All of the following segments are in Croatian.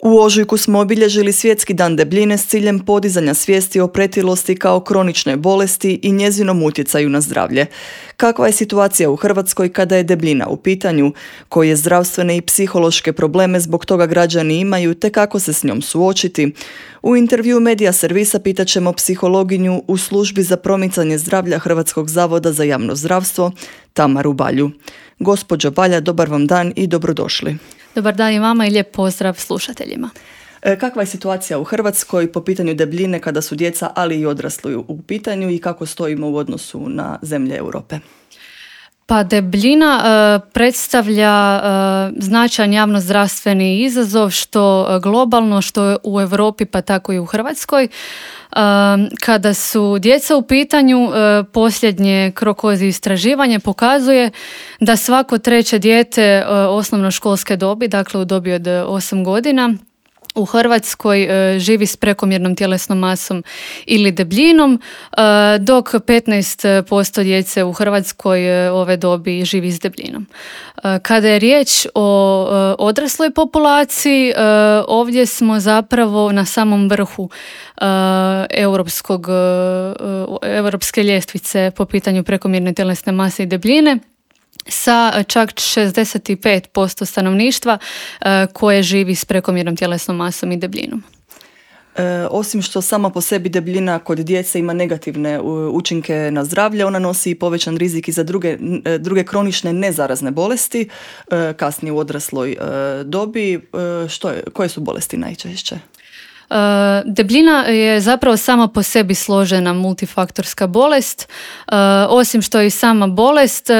U ožujku smo obilježili Svjetski dan debljine s ciljem podizanja svijesti o pretilosti kao kroničnoj bolesti i njezinom utjecaju na zdravlje. Kakva je situacija u Hrvatskoj kada je debljina u pitanju, koje zdravstvene i psihološke probleme zbog toga građani imaju te kako se s njom suočiti? U intervju Medija servisa pitat ćemo psihologinju u službi za promicanje zdravlja Hrvatskog zavoda za javno zdravstvo, Tamaru Balju. Gospođo Balja, dobar vam dan i dobrodošli. Dobar dan i vama i lijep pozdrav slušateljima. Kakva je situacija u Hrvatskoj po pitanju debljine kada su djeca, ali i odrasli u pitanju i kako stojimo u odnosu na zemlje Europe? Pa debljina predstavlja značajan javnozdravstveni izazov što globalno, što u Europi pa tako i u Hrvatskoj. Kada su djeca u pitanju, posljednje Krokozi istraživanje pokazuje da svako treće dijete osnovnoškolske dobi, dakle u dobi od 8 godina, u Hrvatskoj živi s prekomjernom tjelesnom masom ili debljinom, dok 15% djece u Hrvatskoj ove dobi živi s debljinom. Kada je riječ o odrasloj populaciji, ovdje smo zapravo na samom vrhu europske ljestvice po pitanju prekomjerne tjelesne mase i debljine, sa čak 65% stanovništva koje živi s prekomjernom tjelesnom masom i debljinom. Osim što sama po sebi debljina kod djece ima negativne učinke na zdravlje, ona nosi i povećan rizik i za druge kronične nezarazne bolesti, kasnije u odrasloj dobi. Koje su bolesti najčešće? Debljina je zapravo sama po sebi složena multifaktorska bolest. Osim što je i sama bolest,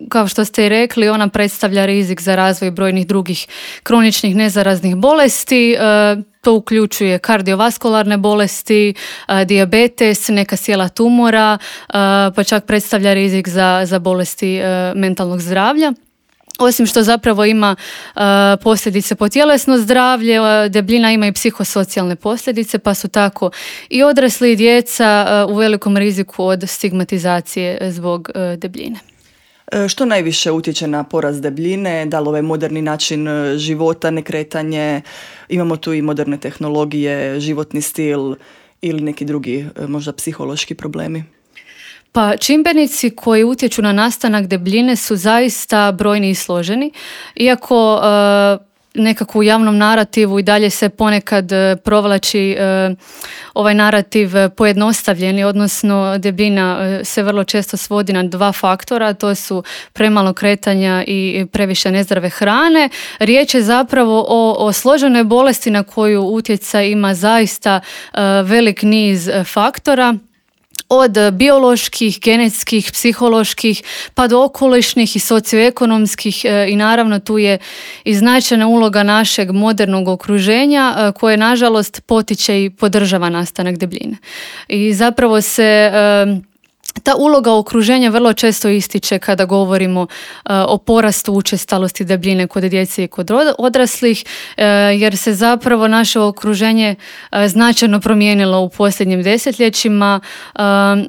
kao što ste i rekli, ona predstavlja rizik za razvoj brojnih drugih kroničnih nezaraznih bolesti. To uključuje kardiovaskularne bolesti, dijabetes, neka sjela tumora, pa čak predstavlja rizik za bolesti mentalnog zdravlja. Osim što zapravo ima posljedice po tjelesno zdravlje, debljina ima i psihosocijalne posljedice, pa su tako i odrasli i djeca u velikom riziku od stigmatizacije zbog debljine. Što najviše utječe na porast debljine? Da li ovaj moderni način života, nekretanje, imamo tu i moderne tehnologije, životni stil ili neki drugi možda psihološki problemi? Pa čimbenici koji utječu na nastanak debljine su zaista brojni i složeni, iako nekako u javnom narativu i dalje se ponekad provlači ovaj narativ pojednostavljeni, odnosno debljina se vrlo često svodi na dva faktora, to su premalo kretanja i previše nezdrave hrane. Riječ je zapravo o složenoj bolesti na koju utjecaj ima zaista velik niz faktora, od bioloških, genetskih, psiholoških, pa do okolišnih i socioekonomskih i naravno tu je i značajna uloga našeg modernog okruženja koje nažalost potiče i podržava nastanak debljine. I zapravo se ta uloga okruženja vrlo često ističe kada govorimo o porastu učestalosti debljine kod djece i kod odraslih, jer se zapravo naše okruženje značajno promijenilo u posljednjim desetljećima,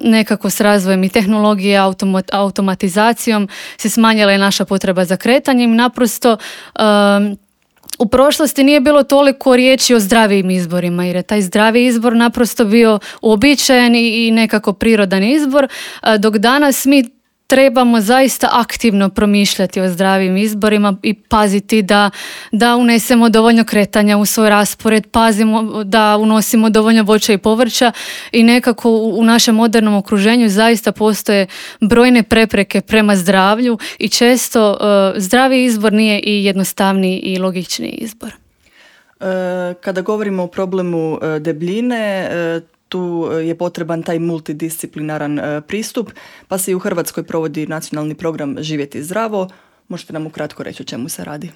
nekako s razvojem i tehnologije, automatizacijom se smanjila i naša potreba za kretanjem. Naprosto u prošlosti nije bilo toliko riječi o zdravijim izborima, jer je taj zdravi izbor naprosto bio uobičajen i nekako prirodan izbor, dok danas mi trebamo zaista aktivno promišljati o zdravim izborima i paziti da unesemo dovoljno kretanja u svoj raspored, pazimo da unosimo dovoljno voća i povrća i nekako u našem modernom okruženju zaista postoje brojne prepreke prema zdravlju i često zdravi izbor nije i jednostavniji i logičniji izbor. Kada govorimo o problemu debljine, tu je potreban taj multidisciplinaran pristup, pa se i u Hrvatskoj provodi nacionalni program Živjeti zdravo. Možete nam ukratko reći o čemu se radi?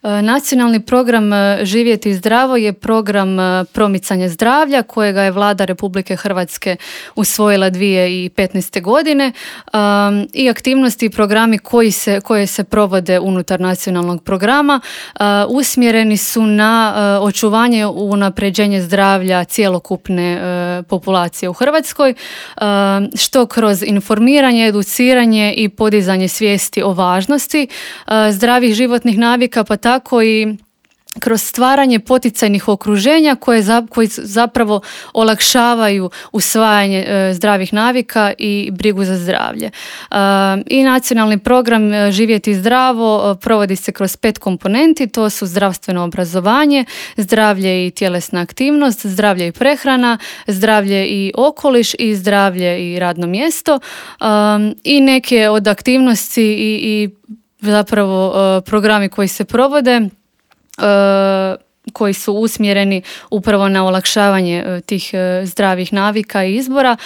Nacionalni program Živjeti zdravo je program promicanja zdravlja kojega je Vlada Republike Hrvatske usvojila 2015. godine i aktivnosti i programi koje se provode unutar nacionalnog programa usmjereni su na očuvanje i unapređenje zdravlja cjelokupne populacije u Hrvatskoj, što kroz informiranje, educiranje i podizanje svijesti o važnosti zdravih životnih navika, pa tako i kroz stvaranje poticajnih okruženja koji zapravo olakšavaju usvajanje zdravih navika i brigu za zdravlje. I nacionalni program Živjeti zdravo provodi se kroz 5 komponenti, to su zdravstveno obrazovanje, zdravlje i tjelesna aktivnost, zdravlje i prehrana, zdravlje i okoliš i zdravlje i radno mjesto. I neke od aktivnosti i zapravo programi koji se provode koji su usmjereni upravo na olakšavanje tih zdravih navika i izbora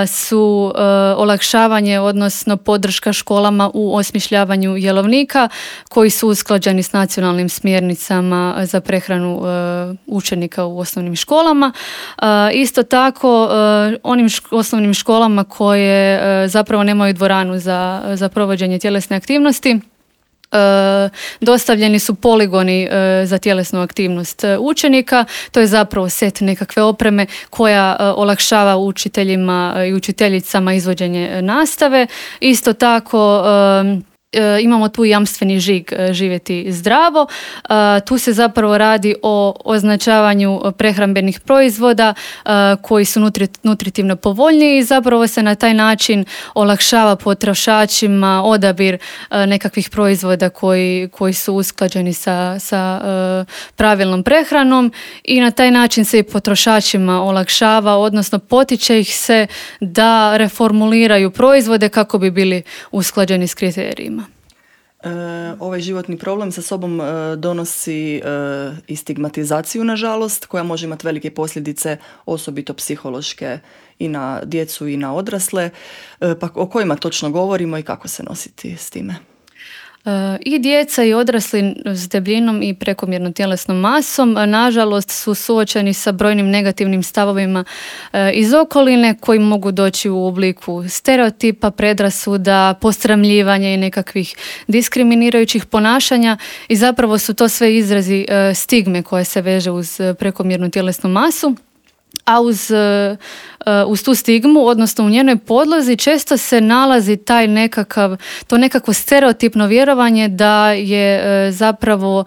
su olakšavanje, odnosno podrška školama u osmišljavanju jelovnika koji su usklađeni s nacionalnim smjernicama za prehranu učenika u osnovnim školama. Isto tako onim osnovnim školama koje zapravo nemaju dvoranu za provođenje tjelesne aktivnosti, dostavljeni su poligoni za tjelesnu aktivnost učenika. To je zapravo set nekakve opreme koja olakšava učiteljima i učiteljicama izvođenje nastave. Isto tako imamo tu jamstveni žig Živjeti zdravo. Tu se zapravo radi o označavanju prehrambenih proizvoda koji su nutritivno povoljniji i zapravo se na taj način olakšava potrošačima odabir nekakvih proizvoda koji su usklađeni sa pravilnom prehranom i na taj način se i potrošačima olakšava, odnosno potiče ih se da reformuliraju proizvode kako bi bili usklađeni s kriterijima. Ovaj životni problem sa sobom donosi i stigmatizaciju, nažalost, koja može imati velike posljedice, osobito psihološke, i na djecu i na odrasle. Pa o kojima točno govorimo i kako se nositi s time? I djeca i odrasli s debljinom i prekomjernom tjelesnom masom nažalost su suočeni sa brojnim negativnim stavovima iz okoline koji mogu doći u obliku stereotipa, predrasuda, posramljivanja i nekakvih diskriminirajućih ponašanja i zapravo su to sve izrazi stigme koje se veže uz prekomjernu tjelesnu masu. A uz tu stigmu, odnosno u njenoj podlozi, često se nalazi to nekakvo stereotipno vjerovanje da je zapravo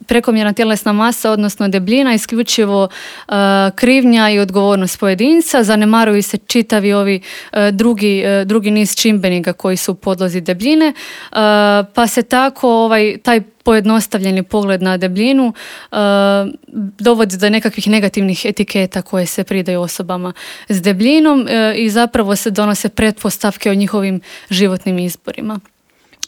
prekomjerna tjelesna masa, odnosno debljina, isključivo krivnja i odgovornost pojedinca. Zanemaruju se čitavi ovi drugi niz čimbenika koji su u podlozi debljine, pa se tako taj pojednostavljeni pogled na debljinu dovodi do nekakvih negativnih etiketa koje se pridaju osobama s debljinom i zapravo se donose pretpostavke o njihovim životnim izborima.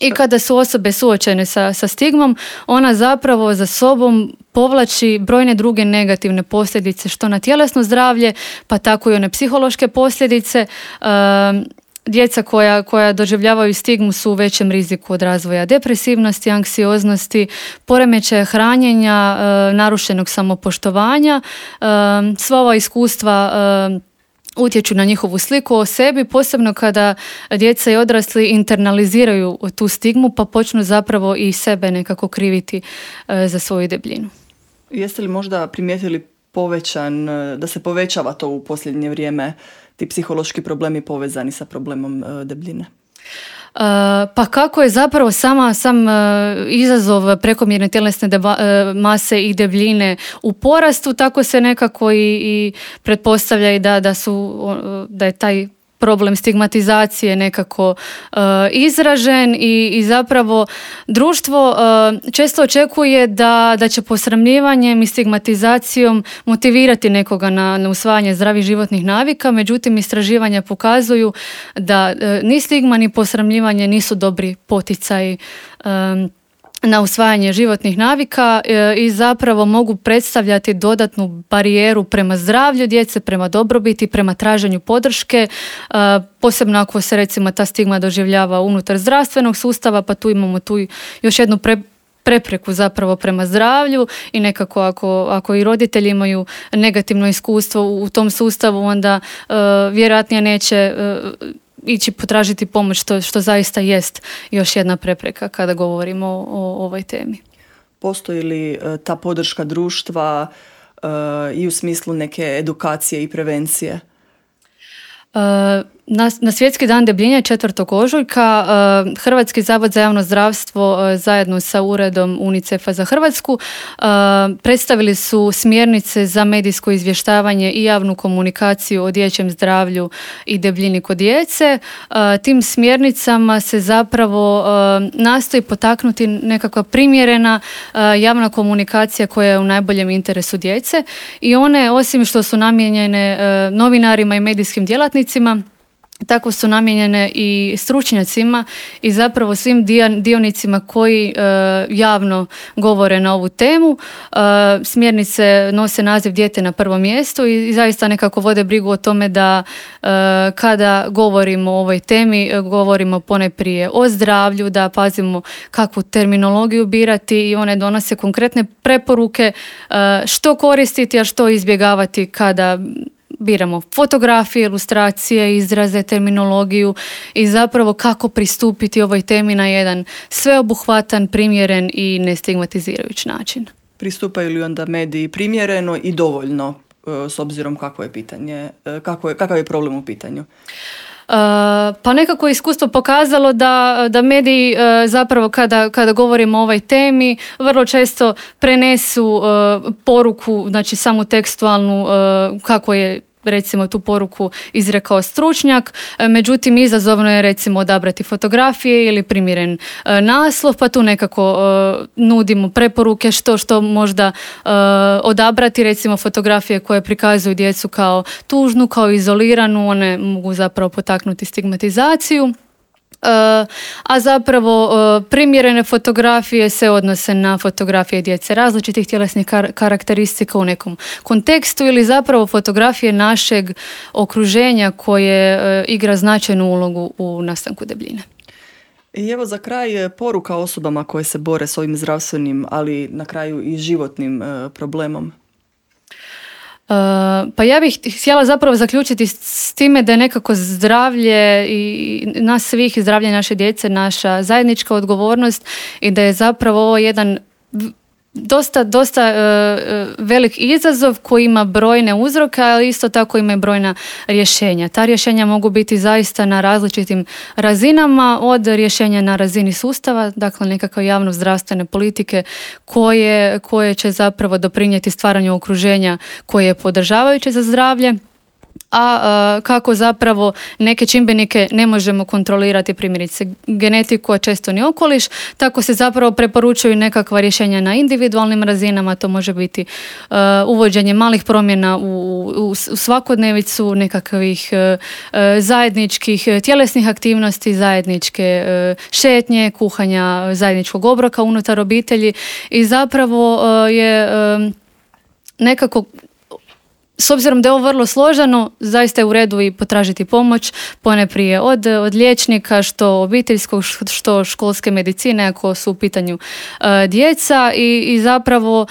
I kada su osobe suočene sa stigmom, ona zapravo za sobom povlači brojne druge negativne posljedice, što na tjelesno zdravlje, pa tako i one psihološke posljedice. Djeca koja doživljavaju stigmu su u većem riziku od razvoja depresivnosti, anksioznosti, poremećaja hranjenja, narušenog samopoštovanja. Sva ova iskustva utječu na njihovu sliku o sebi, posebno kada djeca i odrasli internaliziraju tu stigmu pa počnu zapravo i sebe nekako kriviti za svoju debljinu. Jeste li možda primijetili da se povećava to u posljednje vrijeme, ti psihološki problemi povezani sa problemom debljine? Pa kako je zapravo sam izazov prekomjerne tjelesne mase i debljine u porastu, tako se nekako i pretpostavlja i da je taj problem stigmatizacije nekako izražen i zapravo društvo često očekuje da će posramljivanjem i stigmatizacijom motivirati nekoga na usvajanje zdravih životnih navika, međutim istraživanja pokazuju da ni stigma ni posramljivanje nisu dobri poticaji na usvajanje životnih navika i zapravo mogu predstavljati dodatnu barijeru prema zdravlju djece, prema dobrobiti, prema traženju podrške, posebno ako se recimo ta stigma doživljava unutar zdravstvenog sustava, pa tu imamo još jednu prepreku zapravo prema zdravlju i nekako ako i roditelji imaju negativno iskustvo u tom sustavu, onda vjerojatnije neće ići potražiti pomoć, što zaista jest još jedna prepreka kada govorimo o ovoj temi. Postoji li ta podrška društva i u smislu neke edukacije i prevencije? Na Svjetski dan debljine 4. ožujka Hrvatski zavod za javno zdravstvo zajedno sa uredom UNICEF-a za Hrvatsku predstavili su smjernice za medijsko izvještavanje i javnu komunikaciju o dječjem zdravlju i debljini kod djece. Tim smjernicama se zapravo nastoji potaknuti nekakva primjerena javna komunikacija koja je u najboljem interesu djece i one, osim što su namijenjene novinarima i medijskim djelatnicima, tako su namijenjene i stručnjacima i zapravo svim dionicima koji javno govore na ovu temu. Smjernice nose naziv Dijete na prvom mjestu i zaista nekako vode brigu o tome da kada govorimo o ovoj temi, govorimo ponajprije o zdravlju, da pazimo kakvu terminologiju birati i one donose konkretne preporuke što koristiti, a što izbjegavati kada biramo fotografije, ilustracije, izraze, terminologiju i zapravo kako pristupiti ovoj temi na jedan sveobuhvatan, primjeren i nestigmatizirajući način. Pristupaju li onda mediji primjereno i dovoljno s obzirom kakvo je pitanje, kakav je problem u pitanju? Pa nekako je iskustvo pokazalo da mediji zapravo kada govorimo o ovoj temi vrlo često prenesu poruku, znači samu tekstualnu kako je recimo tu poruku izrekao stručnjak, međutim izazovno je recimo odabrati fotografije ili primjeren naslov, pa tu nekako nudimo preporuke što možda odabrati, recimo fotografije koje prikazuju djecu kao tužnu, kao izoliranu, one mogu zapravo potaknuti stigmatizaciju. A zapravo primjerene fotografije se odnose na fotografije djece različitih tjelesnih karakteristika u nekom kontekstu ili zapravo fotografije našeg okruženja koje igra značajnu ulogu u nastanku debljine. I evo za kraj poruka osobama koje se bore s ovim zdravstvenim, ali na kraju i životnim problemom. Pa ja bih htjela zapravo zaključiti s time da je nekako zdravlje i nas svih i zdravlje naše djece naša zajednička odgovornost i da je zapravo ovo jedan dosta velik izazov koji ima brojne uzroke, ali isto tako ima i brojna rješenja. Ta rješenja mogu biti zaista na različitim razinama, od rješenja na razini sustava, dakle nekakve javno zdravstvene politike koje će zapravo doprinijeti stvaranju okruženja koje je podržavajuće za zdravlje, a kako zapravo neke čimbenike ne možemo kontrolirati, primjerice genetiku, a često ni okoliš, tako se zapravo preporučuju nekakva rješenja na individualnim razinama. To može biti uvođenje malih promjena u svakodnevicu, nekakvih zajedničkih tjelesnih aktivnosti, zajedničke šetnje, kuhanja zajedničkog obroka unutar obitelji i zapravo je nekako, s obzirom da je ovo vrlo složeno, zaista je u redu i potražiti pomoć, ponajprije od liječnika, što obiteljskog, što školske medicine, ako su u pitanju djeca i zapravo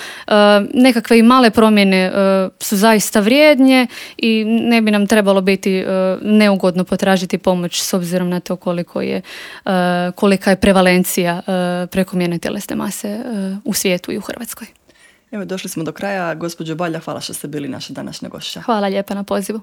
nekakve i male promjene su zaista vrijednje i ne bi nam trebalo biti neugodno potražiti pomoć s obzirom na to kolika je prevalencija prekomjerne tjelesne mase u svijetu i u Hrvatskoj. Evo, došli smo do kraja. Gospođo Balja, hvala što ste bili naša današnja gošća. Hvala lijepa na pozivu.